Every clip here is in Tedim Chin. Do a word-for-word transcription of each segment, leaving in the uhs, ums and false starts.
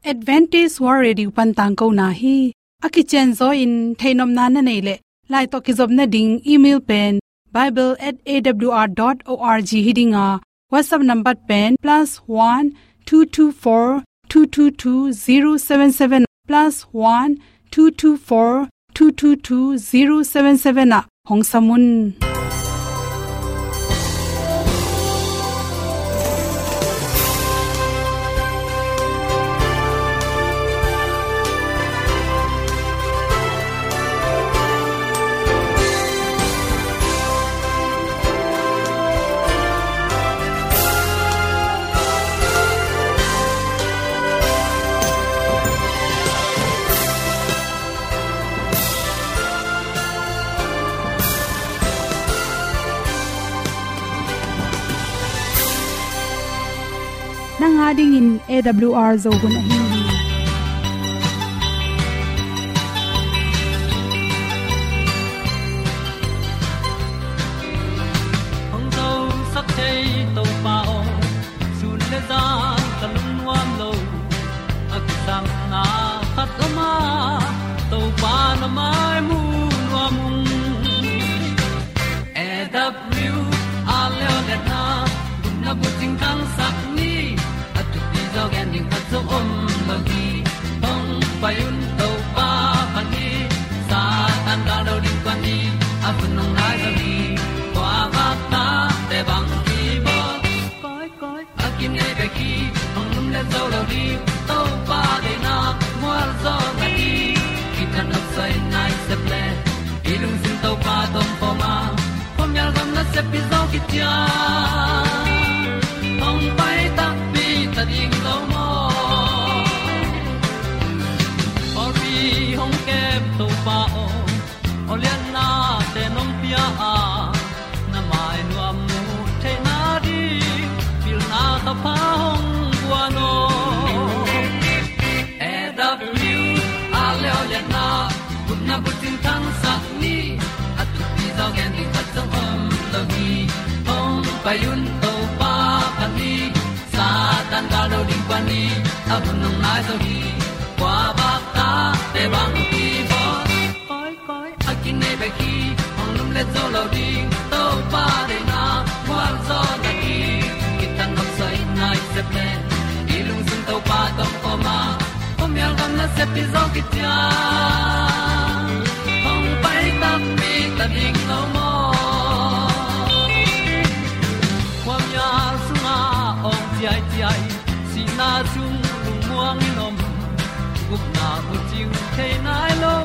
Adventist World Radio pan tangkona hi. A kicianzaw in theihnopna na neih leh, lai tawh kizopna ding email pen bible at A W R dot org hi ding a, WhatsApp number pen plus one two two four two two two zero seven seven, plus one two two four two two two zero seven seven ah hong sam un. Nang a dingin A W R Zo hun ahi hi. Hong zosak thei Topa aw, sun le zan ka lungnuam lo. A kisapna khat om a, Topa na mai mu nuam ung. A W R Leo le na, gupna bucing thangsak ni, a thupi zaw gen ding khat zong om lo hi. Hong pai un Topa pan hi, Satan gal do ding pan hi, a hun hong nai zo hi. Kua vak ta te bang hi bawl. Koi, koi, a kinei bek hi, hong lum le zo lo ding, Topa deihna mual zaw na hi. Kitang nop sai nai sep le, i lungsim Topa tawh pom a, khuamial gam nasep pi zaw kician. Hong pai takpi ta ding lo maw? Pawlpi hong kem Topa aw, aw liannate nong pia a, na mai nuam mu theihna ding, pilna thapha hong guan aw. A W R Leo le na, gupna bucing thangsak ni, a thupi zaw gen ding khat zong om lo hi. Hong pai un Topa pan hi, Satan gal do ding pan hi, a hun hong nai zo hi. Kua vak ta te bang hi bawl. Koi, koi, a kinei bek hi, hong lum le zo lo ding, Topa deihna mual zaw na hi. Kitang nop sai nai sep le, i lungsim Topa tawh pom a, khuamial gam nasep pi zaw kician. Hong pai takpi ta ding lo maw? Khuamial sungah awng ciaiciai, sihna sung lungmuang in om, gupna bucing thei nai lo,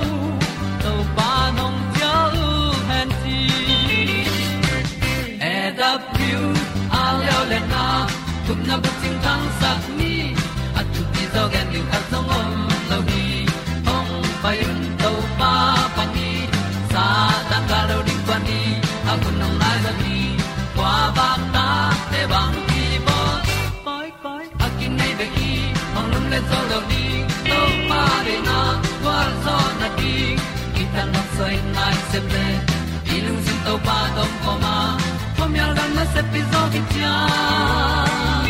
Topa nong cial hen ci. A W R Leo le na, gupna bucing thangsak ni, a thupi zaw gen ding khat zong om lo hi. Hong pai un Topa pan hi, Satan gal do ding pan hi, a hun hong nai zo hi. Kua vak ta te bang hi bawl. Koi, koi, a kinei bek hi, hong lum le zo lo ding, Topa deihna gual zaw na ding. Kitang nop sai nai sep le, i lungsim Topa tawh pom a, khuamial gam nasep pi zaw kician.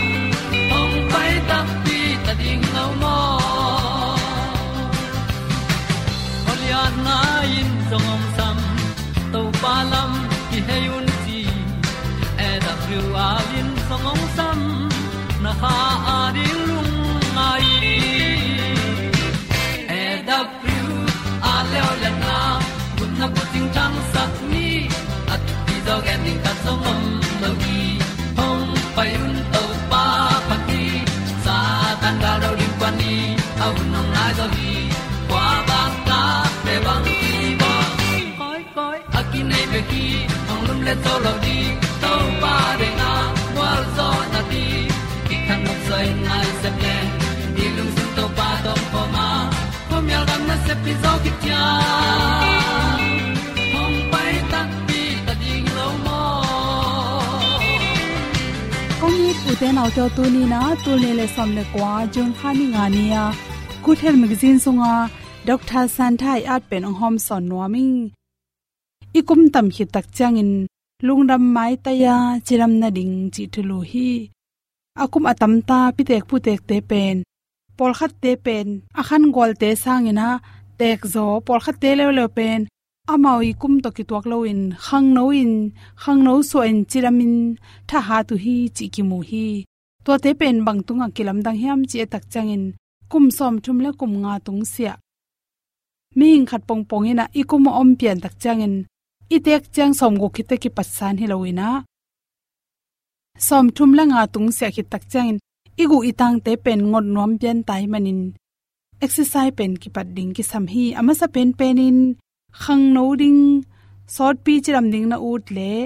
Hong pai takpi ta ding lo maw? Aw lianna in zong hong sam, Topa lam kihei un ci. A W R in zong hong sam, na kha a ding lungngai. A W R Leo le na, gupna bucing thangsak ni, a thupi zaw gen ding khat zong om lo hi. Hong pai un Topa pan hi, Satan gal do ding pan hi, a hun hong nai zo hi. Kua vak ta te bang hi bawl. Koi, koi, a kinei bek hi, hong lum le zo lo ding, Topa deihna gual zaw na ding. Kitang nop sai nai sep le, i lungsim Topa tawh pom a, khuamial gam nasep pi zaw kician. Hong pai takpi ta ding lo maw? Kong it ute naute aw, tuni in ah tul nih le sawm le kua, June kha ni nga ni-a Good Health Magazine sunga Doctor Santha i at pen hong hawmsawn nuam ing. I kum tam khit tak ciangin lungdam maitai-a cidam nading cih thulu hi. A kum a tamta pitek putekte pen Pawlkhatte pen a khan gualte sangin ah teekzaw, pawlkhatte leuleu pen amau i kum tawh kituak loin khangno in, khangno suahin cidamin thahat uh hi cih kimu hi. Tuate pen bang tungah kilamdang hiam cih et tak ciangin kum sawmthum le kum nga tungsiah, mihing khat pongpong in ah i kum a om pian tak ciangin i teek ciang sawmguk khit teh kipatsan hi loin ah, sawmthum le nga tungsiah khit tak ciangin i guh i tangte pen ngot nuam pian ta ahih manin exercise pen kipat ding kisam hi. A masa penpenin khangno ding, sawtpi cidam ding na ut leh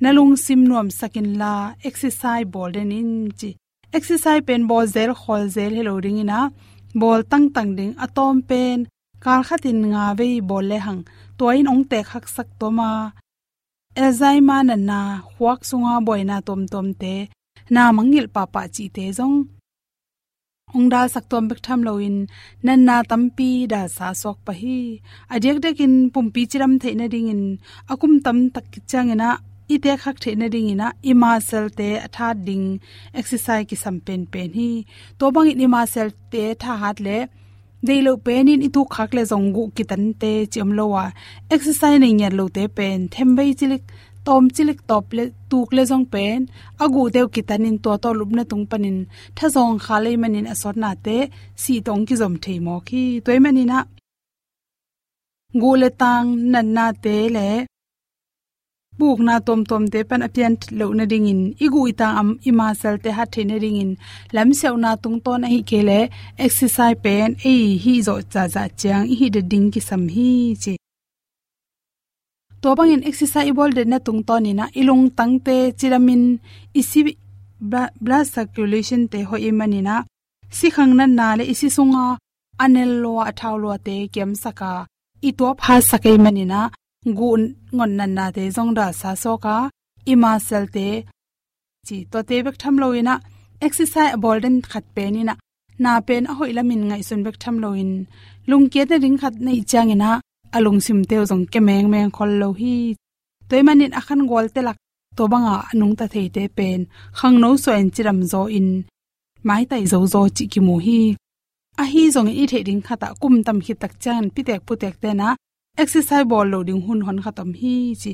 na lungsim nuamsak inla exercise bawl den in ci. Exercise pen bawl zel khawl zel hi lo dingin ah, bawl tangtang ding, a tawm pen kal khatin nga vei bawl lehang tua in hong teek haksak tuam a, Alzheimer natna, khuak sunga buaina tuamtuamte, na mangngilh pahpah cihte zong hong dalsak tuam bek tham loin natna tampi dalsa suak pah hi. A diakdiakin pumpi cidam theih nadingin a kum tamtak khit ciangin ah i teek hak theih nadingin ah i muscle-te a thahat ding exercise kisam penpen hi. Tua bangin i muscle-te thahat leh deih loh penin i tuk khak leh zong guh kitante ci om lo a, exercise nei ngiat lote pen themvei cilik, tawm cilik tawp le tuk leh zong pen a guhte uh kitanin tua tawh lupna tung panin thazawng khal ahih manin a sawtnate sih tawh hong kizom thei mawk hi. Tua ahih manin ah guh le tang natnate le pukna tuamtuamte pan a pian loh nadingin, i guh i tang a, i muscle-te hat theih nadingin lamsiauhna tungtawn ahih kei leh exercise pen ei hih zawh zahzah ciang i hih det ding kisam hi ci. Tua bangin exercise i bawl detna tungtawnin ah i lungtangte cidamin i si, bla-, blood circulation-te hoih ahih manin ah sikhang natna le i si sunga a nel lua, a thau luate kiamsak a, i tuap hatsak ahih manin ah guh ngot natnate zong dalsa suak a, i muscle-te ci. Tuate bek tham loin ah exercise a bawl den khat penin ah na pen a hoih lamin ngaihsun bek tham loin lungkiat nading khat neih ciangin ah a lungsimte uh zong kia mengmeng khol lo hi. Tua ahih manin a khan gualte lak tua banga a nungta theite pen khangno suahin cidam zaw in maitai zozaw cih kimu hi. Ahi zongin i theih ding khatah kum tam khit tak ciangin pitek putekte'n ah exercise bawl loh ding hun hon khat om hi ci.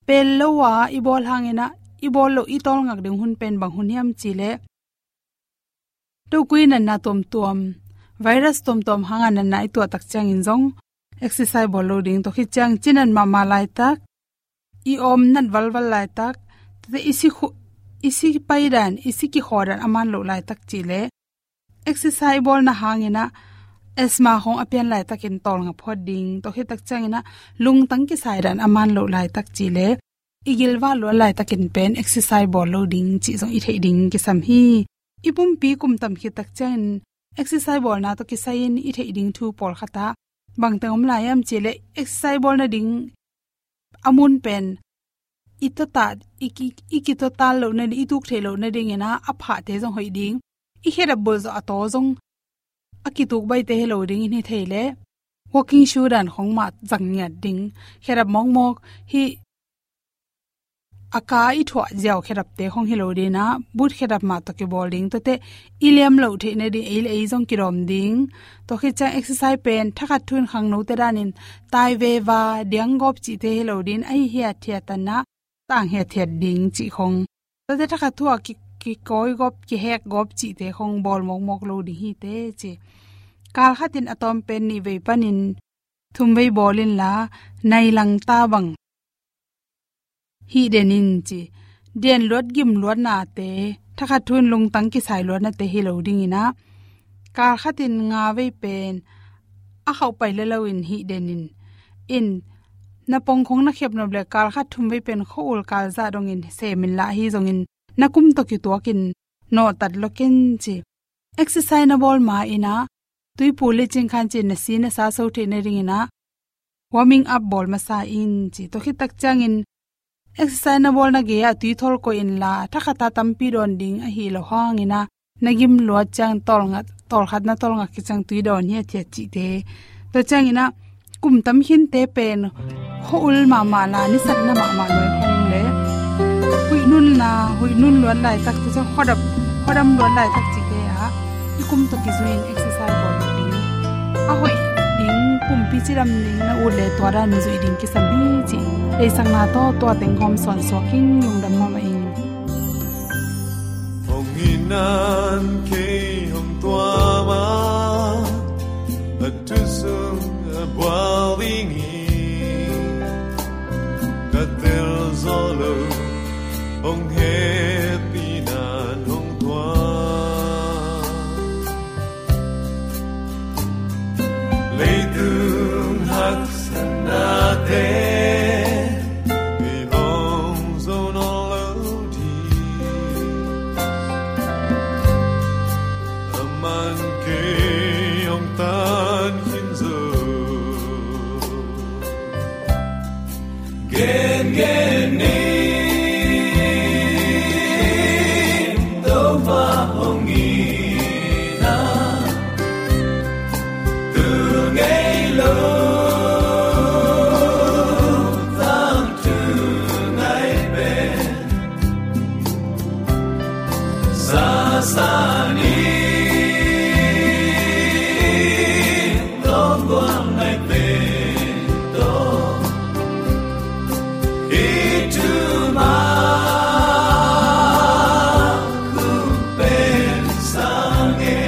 Pel lo a i bawl hangin ah i bawl loh i tawlngak ding hun pen bang hun hiam cih leh, tokui natna tuamtuam, virus tuamtuam hanga natna i tuah tak ciangin zong exercise bawl lo ding, tua khit ciang cinat mahmah laitak, i awm nat valval laitak, tate i si khu-, i si paidan, i si kikhawdan a man loh laitak cih leh, exercise i bawlna hangin ah asthma khong a pian laitakin tawlnga phawt ding, tua khit tak ciangin ah lungtang kisaidan a man loh laitak cih leh, i gilvah luat laitakin pen exercise bawl lo ding cih zong i theih ding kisam hi. I pumpi kum tam khit tak ciangin exercise bawlna tawh kisai-in i theih ding thu pawlkhat ah bangteng om lai hiam cih leh, exercise bawl nading a mun pen i tawtat, i ki-, i kitawtat loh nading, i tuk theih loh nadingin ah a phahte zong hoih ding, i khedap bulh zawh a taw zong a kituk baihte hi lo dingin hi thei leh, walking shoe dan khong mah zang ngiat ding, khedap mawkmawk, hih a ka i thuah ziau khedapte khong hi lo dingin ah boot khedap mah tawh kibawl ding, tuate i liam loh theih nading ei le ei zong kidawm ding. Tua khit ciang exercise pen thakhat thu-in khangnote danin tai veva, diang gawp cihte hi lo dingin, ahi hiathiat tanah tang hiathiat ding cih khong. Tuate thakhat thu-a ki, kikawi gawp, kihek gawp cihte khong bawl mawkmawk lo ding hi teh ci. Kal khatin a tawm pen nih vei panin thum vei bawl inla, nai langta bang hih den in ci. Dian luat gim luatnate, thakhat thu-in lungtang kisai luatnate hi lo dingin ah, kal khatin nga vei pen a khauh pai le loin hih den in. In, na pong khong na khep nop leh kal khat thum vei pen khua-ul kal zah dongin sem inla, ahi zongin na kum tawh kituakin nawhtat lua ken ci. Exercise na bawl ma-in ah, tuipu lecin khan ci, na si na sa so theih nadingin ah warming up bawl masa in ci. Tua khit tak ciangin exercise na bawlna gei-ah tui thawl koih inla, thakhat a tampi dawn ding ahi lo hangin ah, na gim luat ciang tawlnga, tawlkhat na tawlnga khit ciang tui dawn hiathiat cihte. Tua ciangin ah kum tam khinte pen khua-ul mahmah la, nisatna mahmah luai khong leh, huih nunna, huih nun luat laitak, tua ciang khuadam, khuadam luat laitak cihte ah i kum tawh kizui-in exercise A hoih ding pumpi cidam ding na ut le tua dan zuih ding kisam hi ci. Theihsakna tawh tua teng hawm sawnsuak in lungdam mahmah ing. Hong itna in kei hong tuam a, a thu sung a bual ding hi. Ka tel zo lo, hong hehpihna in hong tuam. Leitung haksatnate i hong zo nawn lo ding, aman kei hong tan khin zo. Gengen ni, Topa hong itna, tu ngei lo, tangthu ngai pen. Sasa ni, lawng gual ngai pen tawh, i thu mah kong pen sang e.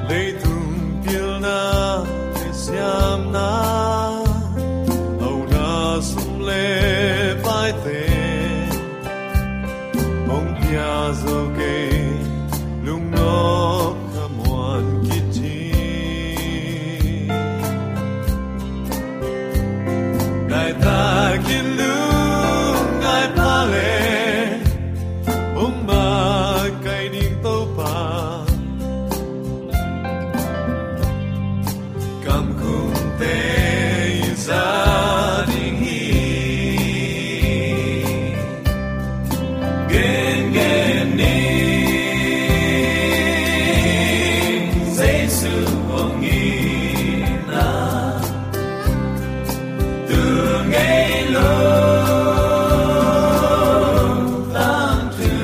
Leitung pilna le siamna, hauna sum le paite, hong pia zo kei, lungnop khamuan khit hi. Nai takin lungngai pha le, hong makaih ding Topa, kamkhumte i za ding hi. Gengen ni, Jesu hong itna, tu ngei lo, tangthu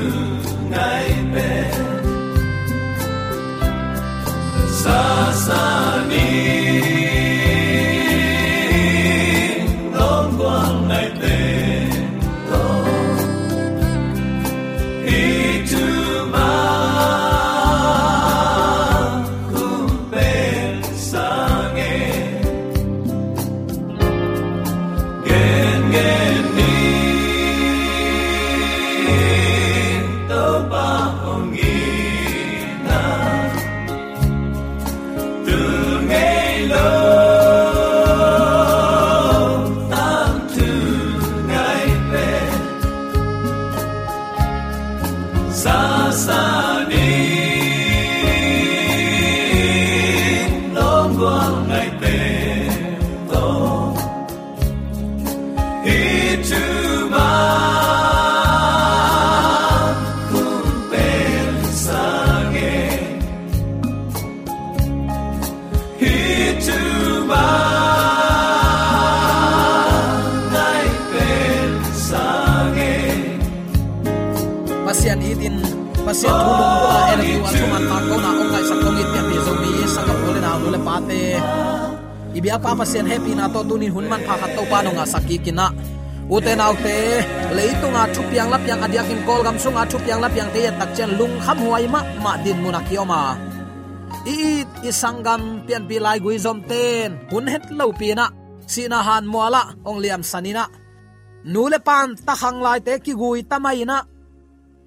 ngai pen. Sasa ni, lawng gual ngai pen tawh, i thu mah kong pen sang e. Gengen ni, Topa hong itna, tu ngei lo, tangthu ngai pen. Sasa ni, lawng gual ngai pen tawh, i thu mah kong pen sang e. Hih thu mah ngai pen sang e. Pasian itin, Pasian thu lungdam a, N F U a thuman tangkona hong ngaihsak hong it pianpih Zomi sanggam u le nau, nu le pate, i biakpa Pasian hehpihna tawh tunin hun manpha khat Topa nong ngahsak kik in ah, ute naute, leitunga thupiang lapiang, a diakin Kawlgam sunga thupiang lapiangte i et tak ciang lungkhamhuai mahmah dinmun a kiom a, i it i sanggam pianpih laigui zomten hun het lopi in ah, sihna hanmual ah hong liamsan in ah, nu le pa'n takhang laite kigui ta mai in ah,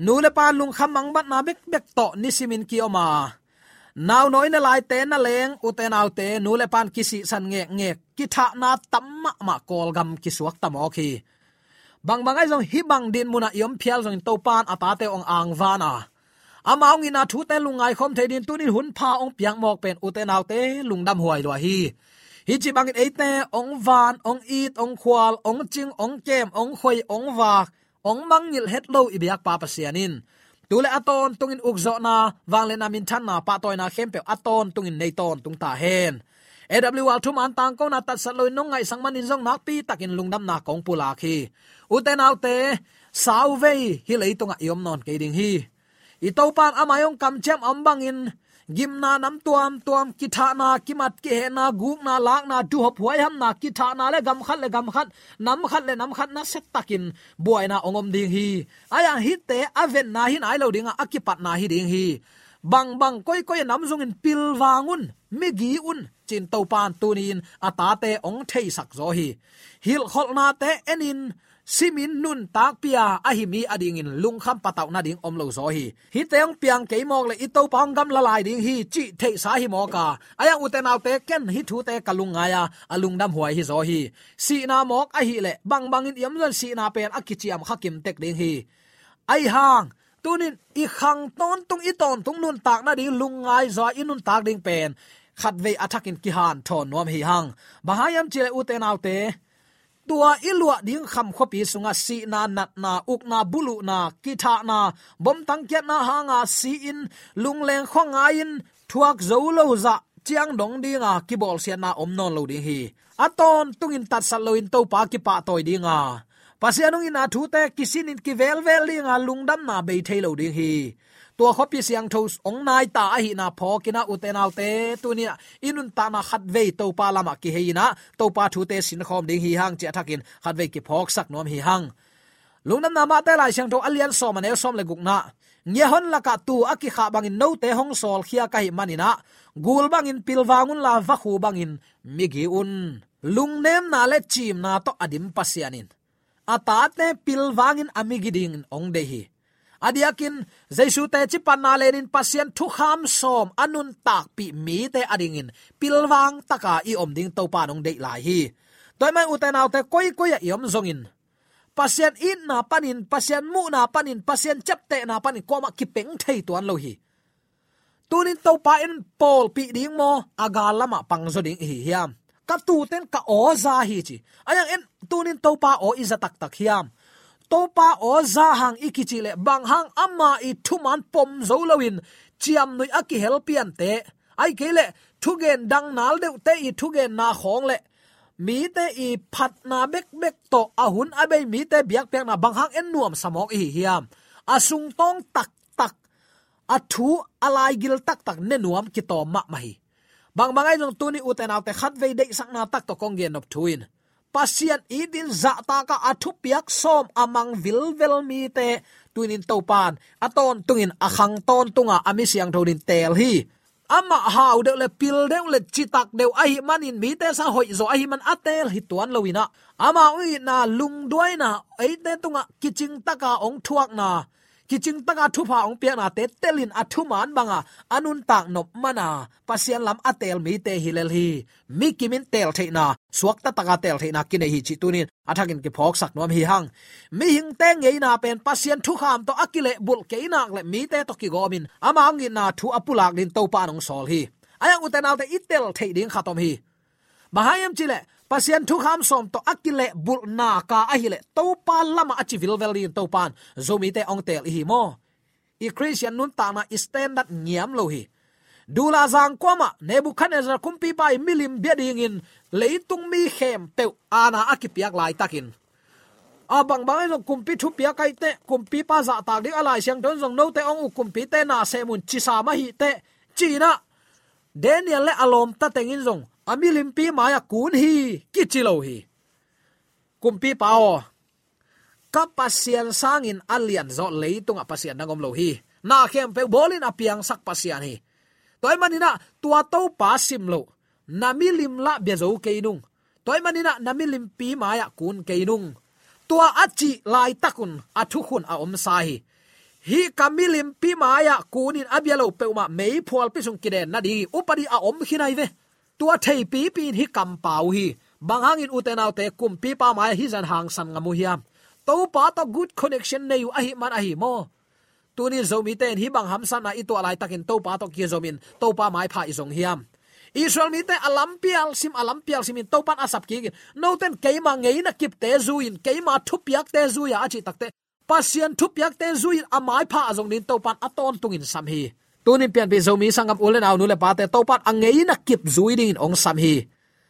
nu le pa'n lungkham mangbatna bekbek tawh nisimin kiom a, naunawi ne laite na leng, ute naute, nu le pa'n kisihsan ngekngek, kithahna tam mahmah Kawlgam kisuak ta mawk hi. Bangbang ahi zong hih bang dinmun ah i om phial zongin Topa'n a tate hong angvan a, amah hong itna thute lungngai khawm thei dingin tunin hun pha hong piak mawk pen, ute naute, lungdamhuai lua hi. Hih ci bangin eite hong van, hong it, hong khual, hong cing, hong kem, hong khoi, hong vak, hong mangngilh het lo i biakpa Pasian in tu le a tawntungin ukzawhna, vangliatna, minthanna, pahtawina khempeuh a tawntungin nei tawntung ta hen. A W R thuman tangkona tatsat loin nong ngaihsak manin zong nakpi takin lungdamna kong pulak hi. Ute naute, sauvei hih leitungah i om nawn kei ding hi. I Topan a mai hong kamciam a om bangin gimna nam tuamtuam, kithahna, kimat kihehna, gukna, lakna, duhop huaihamna, kithahna le gam khat le gam khat, nam khat le nam khat nasia takin buaina hong om ding hi. Ahi hang hihte a venna hi nai lo ding a, a kipatna hi ding hi. Bangbang koikoi a nam zongin pilvang un, migi un, ci-in Topan tuni-in a tate hong theisak zaw hi. Hilhkholhnate enin, simin nuntakpih a, ahi mi adingin lungkham patauh nading om lo zaw hi. Hihte hong piang kei mawk leh i Topa hong gamla lai ding hi cih theihsa hi mawk a. Ahi hang ute naute, ken hih thute ka lungngai a, a lungdam huai hi zaw hi. Sihna mawk ahih leh bangbangin i om zong sihna pen a kiciam kha kimtek ding hi. Ahi hang, tunin i khang tawntung, i tawntung nuntak nading lungngai zaw a i nuntak ding pen khatvei a thakin kihanthawn nuam hi hang. Bang hang hiam cih leh ute naute, tua i luah ding kham khuapi sungah sihna, natna, ukna, buluhna, kithahna, bomtang kiatna hanga si-in, lungleng khuangai-in, thuak zo lo zah ciang dong dinga kibawlsiatna om nawn lo ding hi. A tawntungin tatsat loin Topa kipahtawi dinga, Pasian hong itna thute kisinin kivelvel dinga lungdamna bei thei lo ding hi. Tua khuapi siangtho hong nai ta ahihna phawkin ah ute naute, tuni-ah i nuntakna khatvei Topa lamah kihei-in ah Topa thute sinkhawm ding hi hang cih a thakin khatvei kiphawksak nuam hi hang. Lungdamna Mate Lai Siangtho a lian sawm, a neu sawm le gukna, ngiahon lakah tuu a kikhah bangin note hong sawlkhia ka hih manin ah, gul bangin pilvang unla, vakhu bangin migi un. Lungnemna le ciimna tawh a dim Pasian in a tate pilvangin a migi dingin hong deih hi. A diakin Jesu teci panna lenin Pasian thukham sawm a nuntakpih mite adingin pilvang taka i om ding Topa in hong deih lai hi. Tua ahih manin ute naute, koikoi ah i om zongin Pasian itna panin, Pasian muhna panin, Pasian ciaptehna panin kuamah kipeng thei tuan lo hi. Tunin Topa in pawlpih ding maw, a gal lamah pangzaw ding i hi hiam? Ka tuute in ka aw za hi ci. Ahi hang en, tunin Topa aw i za taktak hiam? Topa aw za hang i kicih leh bang hang ama i thuman pom zo loin ciamnuih a kihel piante, ahih kei leh thugen dang nal deuhte i thugenna khawng leh mite i phatna bekbek tawh a hun a bei mite biakpiakna bang hang en nuamsa mawk i hi hiam? A sungtawng taktak, a thu a laigil taktak ne nuam kitawm mahmah hi. Bangbang ahi zong tuni ute naute, khatvei deihsakna tak tawh kong gennop thu in, Pasian itin zahtakah a thupiak sawm a mang vilvel mite tunin Topan a tawntungin a khang tawntunga a mi siangtho dingin teel hi. Amah hau deuh le pil deuh le citak deuh ahih manin mite sang hoihzaw ahih man a teel hi tuan loin ah, amah hong itna lungduaina, eite tungah kicingtaka hong thuakna, kicingtaka thupha hong piaknate telin a thuman banga a nuntak nop mana Pasian lam a teel mite hi lel hi. Mi kimin teel theihna, suakta taka teel theihna kinei hi cih tunin a thakin kiphawksak nuam hi hang. Mihingte ngeina pen Pasian thukham tawh a kilehbulh kei nak leh mite tawh kigawmin ama hong itna thu a pulak dingin Topa in hong sawl hi. Ahi hang ute naute, i tel theih ding khat om hi. Bang hang hiam cih leh Pasian thukham sawm tawh a kilehbulhna ka ahih leh Topa lamah a ci vilvel dingin Topa in Zomite hong teel i hi maw? I Khristian nuntakna i standard ngiam lo hi. Dula zang kuamah Nebuchadnezzar kumpipa in milim bia dingin leitung mi khempeuh aana a kipiak laitakin, a bangbang in zong kumpi thupiak ahi teh, kumpipa zahtak ding a Lai Siangtho in zong note hong uk kumpite na sem un ci sam ahi teh, ci-in ah Daniel le a lawmta teng in zong a milimpi mai-ah kun hi kici lo hi. Kumpipa aw, ka Pasian sangin a lianzaw leitungah Pasian dang om lo hi. Na khempeuh bawlin a piangsak Pasian hi. Tua ahih manin ah tua Topa sim loh, na milim lah bia zo kei nung. Tua ahih manin ah na milimpi mai-ah kun kei nung. Tua a cih laitakun a thukhun a omsa hi. Hih ka milimpi mai-ah kunin a bia lo peuhmah meiphualpi sung kiden nading hi. Upadi a om khin ahi ve. Tua theipipi in hih kampau hi. Bang hangin ute naute, kumpipa mai-ah hih zah hangsan ngam uh hiam? Topa tawh good connection nei uh ahih man ahi maw? Tunin Zomite in hih bang hamsatna i tuah laitakin Topa tawh kizomin Topa maipha i zong hiam? Israel mite a lampial sim, a lampial simin Topa in a sap kikin, note in keima ngeina kipte zui-in, keima thupiakte zui-a a cih takteh, Pasian thupiakte zui-in a maipha a zong dingin Topa in a tawntungin sam hi. Tunin pianpih Zomi sanggam u le nau, nu le pate, Topa in a ngeina kip zui dingin hong sam hi.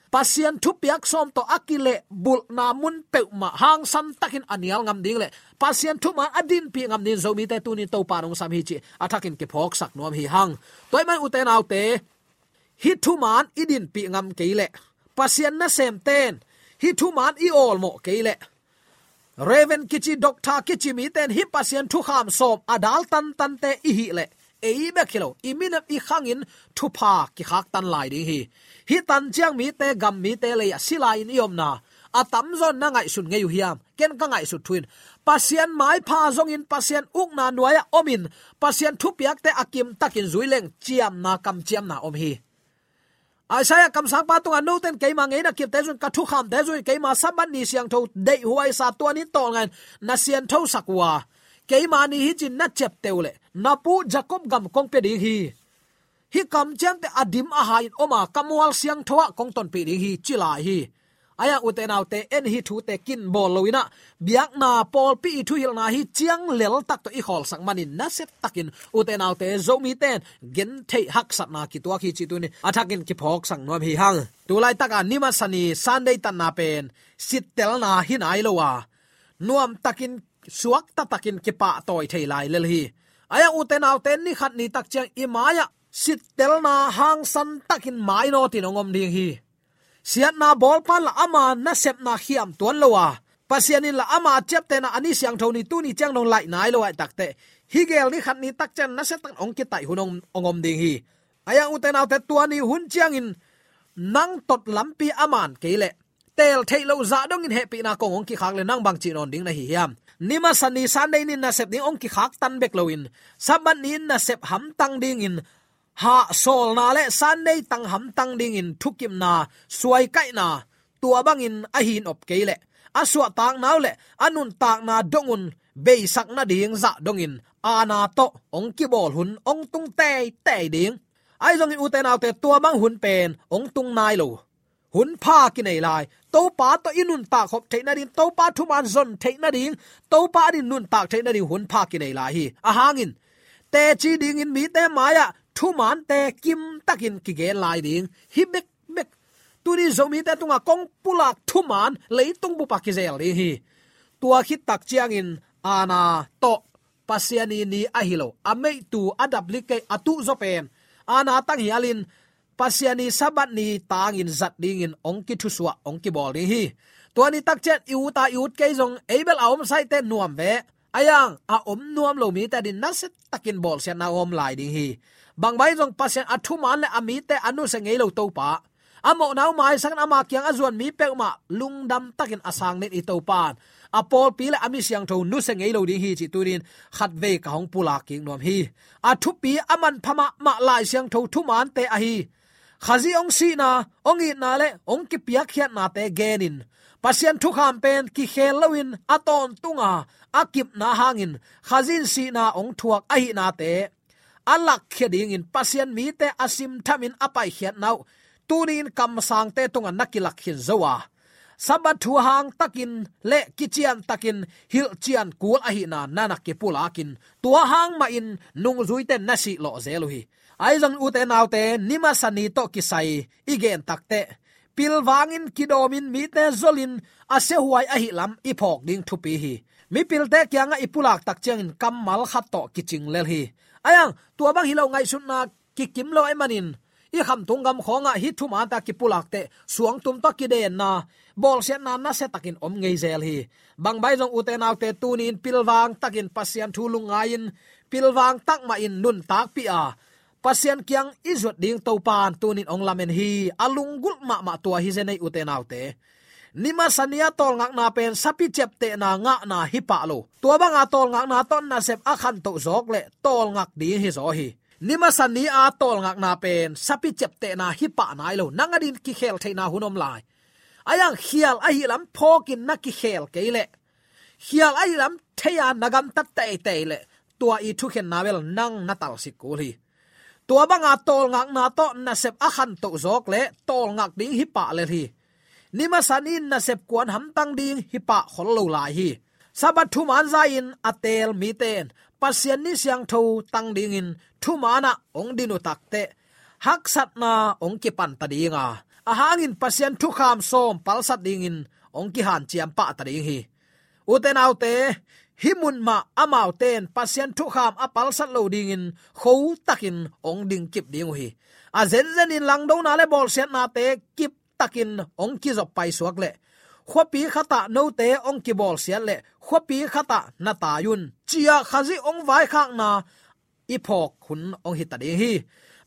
Pasian thupiak sawm tawh a kilehbulhna mun peuhmah hangsan takin a nial ngam ding le Pasian thuman a dinpih ngam dingin Zomite tuni Topa in hong sam hi cih a thakin kiphawksak nuam hi hang. Tua ahih man ute naute, hih thuman i dinpih ngam kei leh, Pasian nasemten hih thuman i awlmawh kei leh, Reverend kici, Doctor kici mite in hih Pasian thukham sawm a dal tantante i hih leh, ei bek hi lo, i minam i khangin thupha kikhaktan lai ding hi. Hih tan ciang mite, gam mite lei-ah si lai-in i omna a tamzaw in na ngaihsun ngei uh hiam? Ken ka ngaihsut thu in, Pasian maipha zongin, Pasian ukna nuai-ah omin, Pasian thupiakte a kimtakin zui leng ciamna, kamciamna om hi. Isaiah kamsangpa tungah, note in keima ngeina kipte zui-in, ka thukhamte zui-in, keima Sabbath ni siangtho deihhuaisa, tua ni tawlnga-in na siangthosak uh a, keima ni hi ci-in na ciapteh uh leh, na pu Jacob gam kong pia ding hi. Hih kamciamte a dim a ha-in om a, ka mual siangtho-ah kong tonpih ding hi, ci lai hi. Ahi hang ute naute, en hih thute kin bawl lo-in ah, biakna pawlpi i thuhilhna hi ciang leltak tawh i khawlsak manin nasia takin ute naute, Zomite in gentheih haksatna kituak hi cih tuni a thakin kiphawksak nuam hi hang. Tulaitak a ni masa ni Sunday tanna pen sittelna hi nai lo a, nuamtakin, suakta takin kipahtawi thei lai lel hi. Ahi hang ute naute, ni khat ni tak ciang i mai-ah sittelna hangsan takin mainawtin hong om ding hi. Siatna bawlpa in lah ama nasepna khiam tuan lo a, Pasian in lah ama ciaptehna a ni siangtho ni, tuni ciang dong laih nai lo ahih takteh, hih gel ni khat ni tak ciang nasia takin hong kitaih hun hong, hong om ding hi. Ahi hang ute naute, tua ni hun ciangin nang tot lampi a man kei leh, teel theih loh zah dongin hehpihna kong hong kikhak leh nang bangci nawn ding na hi hiam? Ni masa ni Sunday ni nasep ding hong kikhaktan bek loin, Sabbath ni nasep hamtang dingin hahsawlna le Sunday tang hamtang dingin thukimna, suaikaihna, tua bangin a hin op kei leh, a suahtakna uh le a nuntakna dong un beisak nading zah dongin aana tawh hong kibawl hun hong tung teitei ding. Ahi zongin ute naute, tua bang hun pen hong tung nai lo. Hun pha kinei lai. Topa tawh i nuntak khop theih nading, Topa thuman zon theih nading, Topa adingin nuntak theih nading hun pha kinei lai hi. Ahang in, teci dingin mite mai-ah thumante kimtakin kigen lai ding hi bekbek. Tuni Zomite tungah kong pulak thuman leitung bup ah kizel ding hi. Tua khit tak ciangin aana tawh, Pasian' ni ahi lo, a meihtu, a daplik kei, a tuhzaw pen aana tang hialin, Pasian' Sabbath ni tangin zat dingin hong kithusuah, hong kibawl ding hi. Tua ni tak ciang i ut a i ut kei zong, ei bel a om saite nuam ve. Ahi hang a om nuam lo mite adingin nasia takin bawlsiatna om lai ding hi. Bangbang zong Pasian a thuman le a mite a nusia ngei lo Topa, a mawhna uh maisak in ama kiang a zuan mi peuhmah lungdam takin a sang den i Topa in a pawlpi le a mi siangtho nusia ngei lo ding hi cih tuni-in khatvei ka hong pulak kik nuam hi. A thupi, a manpha mahmah Lai Siangtho thumante ahi Khazih hong sihna, hong itna le hong kipiakkhiatnate genin, Pasian thukham pen kikhel loin a tawntunga a kipna hangin Khazih in sihna hong thuak ahihnate a lakkhia dingin Pasian' mite a simthamin a paikhiatna uh tuni-in kamsangte tungah na kilak khin zo a, Sabbath thu hangtakin le kiciantakin hilhcian kul ahihna na na kipulakin, tua hang mahin nungzuite na sihlawh zel uh hi. Ahi zongin ute naute, ni masa ni tawh kisai i gen takteh, pilvangin kidawmin mite zolin a siahuai ahihlam i phawk ding thupi hi. Mipilte kiangah i pulak tak ciangin kammal khat tawh kicing lel hi. Ahi hang tua bang hi lo, ngaihsutna kikim lo ahih manin, i khamtung gam khawngah hih thumante a kipulak teh suangtum tawh kidenna, bawlsiatna nasia takin om ngei zel hi. Bangbang zong ute naute, tuni-in pilvang takin Pasian thu lungngai-in, pilvang tak mahin nuntakpih a, Pasian kiang i zuat ding Topa in tuni-in hong lamen hi. A lunggulh mahmah tua hi zen ei ute naute. Ni masa ni a tawlngakna pen sapi ciaptehna ngahna hi pah lo. Tua banga tawlngakna tawh nasep a khantoh zawk leh tawlngak ding hi zaw hi. Ni masa ni a tawlngakna pen sapi ciaptehna hi pah nai lo. Nang adingin kikhel theihna hun om lai. Ahi hang khial ahihlam phawkin na kikhel kei leh, khial ahihlam thei-a na gamtat teitei leh, tua i thukhenna bel nang na talsik kul hi. Tua banga tawlngakna tawh nasep a khantoh zawk leh tawlngak ding hi pah lel hi. Ni masa ni-in nasep kuan hamtang ding hi pah khol lo lai hi. Sabbath thuman zai-in a teel mite in Pasian' ni siangtho tang dingin thumanah hong din uh takteh, haksatna hong kipan ta ding a, A hangin Pasian thukham sawm palsat dingin hong kihanciam pah ta ding hi. Ute naute, hih mun mah amaute in Pasian thukham a palsat lo dingin khotakin hong dingkip ding uh hi. A zenzenin langdona le bawlsiatnate kiptakin hong kizop paisuak leh khuapi khatah note hong kibawlsiat leh khuapi khatah na tai un, ci-a Khazih hong vaikhakna i phawk hun hong hi ta ding hi.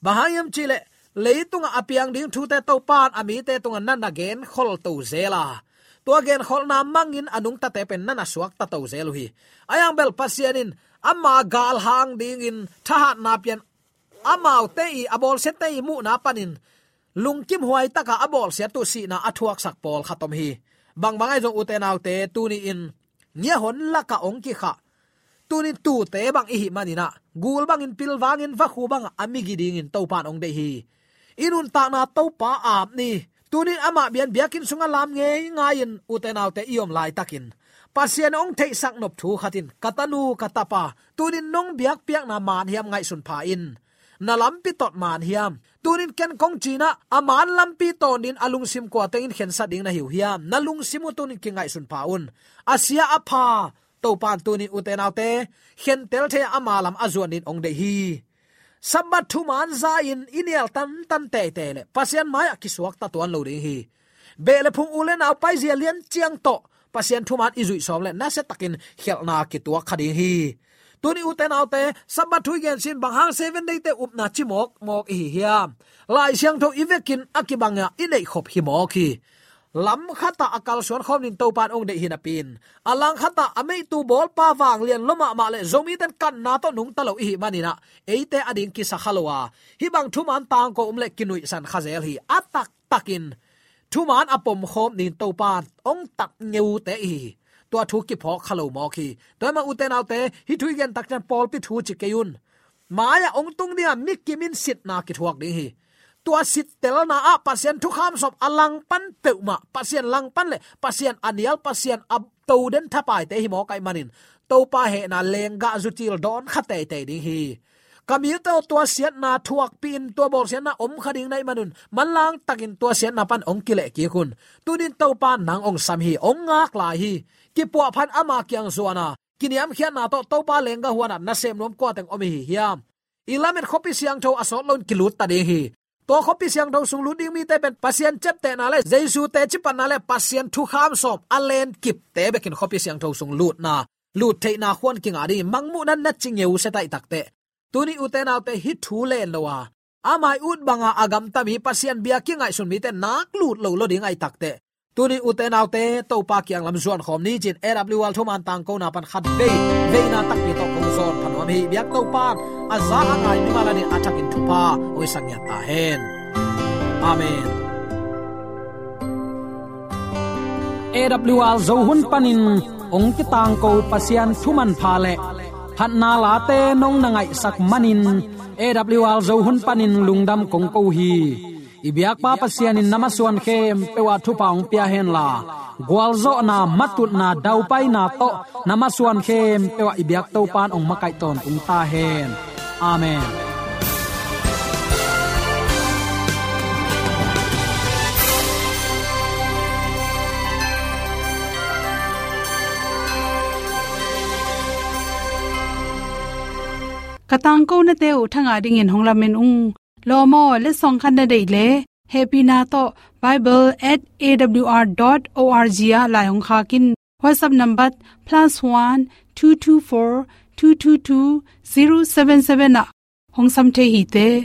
Bang hang hiam cihleh, leitungah a piang ding thute Topa in a mite tungah na na genkhol to zel a, tua genkholhna mangin a nungtate pen na na suakta to zel uh hi. Ahi hang bel Pasian in ama galhang dingin thahatna pian, amaute i, a bawlsiatte i muhna panin lungkimhuai taka a bawlsiat uh sihna a thuaksak pawlkhat om hi. Bangbang ahi zong ute naute, tuni-in ngiahon lakah hong kikhah, tuni-in tuute bang i hih manin ah, gul bangin pilvangin vakhu bangah a migi dingin Topa in hong deih hi. I nuntakna Topa ap ni. Tuni-in amah biakinn sungah lam ngeingai-in ute naute i om laitakin, Pasian hong theihsak nop thu khat in, ka tanu ka tapa, tuni-in nong biakpiakna man hiam ngaihsun pha in. Na lampi tot man hiam? Tuni-in ken kong ci-in ah, a man lampi tawn dingin a lungsim kua tengin khensat ding na hi uh hiam? Na lungsim uh tuni-in kingaihsun pha un. A sia a pha, Topa in tuni-in ute naute, khentel thei-a ama lam a zuan dingin hong deih hi. Sabbath thuman za-in i nial tantan teitei leh Pasian mai-ah kisuakta tuan lo ding hi. Beh le phung, u le nau, paizia lian ciang tawh Pasian thuman i zuih sawm leh nasiatakin khialhna kituak kha ding hi. Tuni ute naute, Sabbath thu i gen sin bang hang Seven Day-te upna ci mawkmawk i hi hiam? Lai Siangtho i vekin a kibangah i neih khop hi mawk hi. Lam khatah a kalsuan khawm dingin Topa in hong deih hi napi-in, a lang khatah a meihtu bawlpa vanglian lua mahmah le Zomite in kanna tawh nungta lo i hih manin ah, eite ading kisa kha lo a, hih bang thuman tangko om leh kinuihsan kha zel hi. A taktakin thuman a pomkhawm dingin Topa in hong tat ngeute i hi hi. Tua thu kiphawk kha lo mawk hi. Tua hi mah ute naute, hih thu i gen tak ciang pawlpi thu ci kei un. Mai-ah hong tung dingah mi kim in sitna kithuak ding hi. Tua sittelna ah Pasian thukham sawm a langpan peuhmah, Pasian langpan le Pasian a nial, Pasian a toden thapaite hi mawk ahih manin, Topa hehna lenggah zucil dawn kha teitei ding hi. Ka mite aw, tua siatna thuakpih in, tua bawlsiatna om kha ding na hih manun, manlang takin tua siatna pan hong kileh kik un. Tuni-in Topa in nang hong sam hi, hong ngak lai hi. Kipuahphat ama kiang zuan a, kiniamkhiatna tawh Topa lenggah huan ah nasem nuam kua teng om i hi hiam? I lamet khuapi siangtho a sawt loin kilut ta ding hi. Tua khuapi siangtho sung lut ding mite pen Pasian ciaptehna le Jesu teci panna le Pasian thukham sawm a lenkipte bekin khuapi siangtho sung lutna, lut theihna khuan kingah ding hi. Mangmuhna na ci ngeu sia ta i hi takteh, tuni ute naute, hih thu len lo a, a mai ut banga a gamta mi, Pasian bia kingaihsun mite nak lut lo lo ding a hi takteh, tuni ute naute, Topa kiang lam zuan khawm ni ci-in A W R thuman tangkona pan khat vei, veina takpi tawh kong zawn pha nuam hi. Biak Topa in a za a ngai mimal adingin a thakin thupha hong hisak ngiat ta hen. Amen. A W R Zo hun panin hong kitangko Pasian thu manpha le phatna late nong na ngaihsak manin, A W R Zo hun panin lungdam kong ko hi. I biakpa Pasian in na masuan khempeuh ah thupha hong pia henla, gualzawhna, matutna, daupaina tawh na masuan khempeuh ah i biak Topa in hong makaih tawntung ta hen. Amen. Ka tangkonate uh thangah dingin hong lamen ung. Lawm aw, letsong khat na deih leh, hehpihna tawh bible at A W R dot O R G ah lai hong khak in. WhatsApp number plus one two two four two two two zero seven seven ah hong sam thei hi te.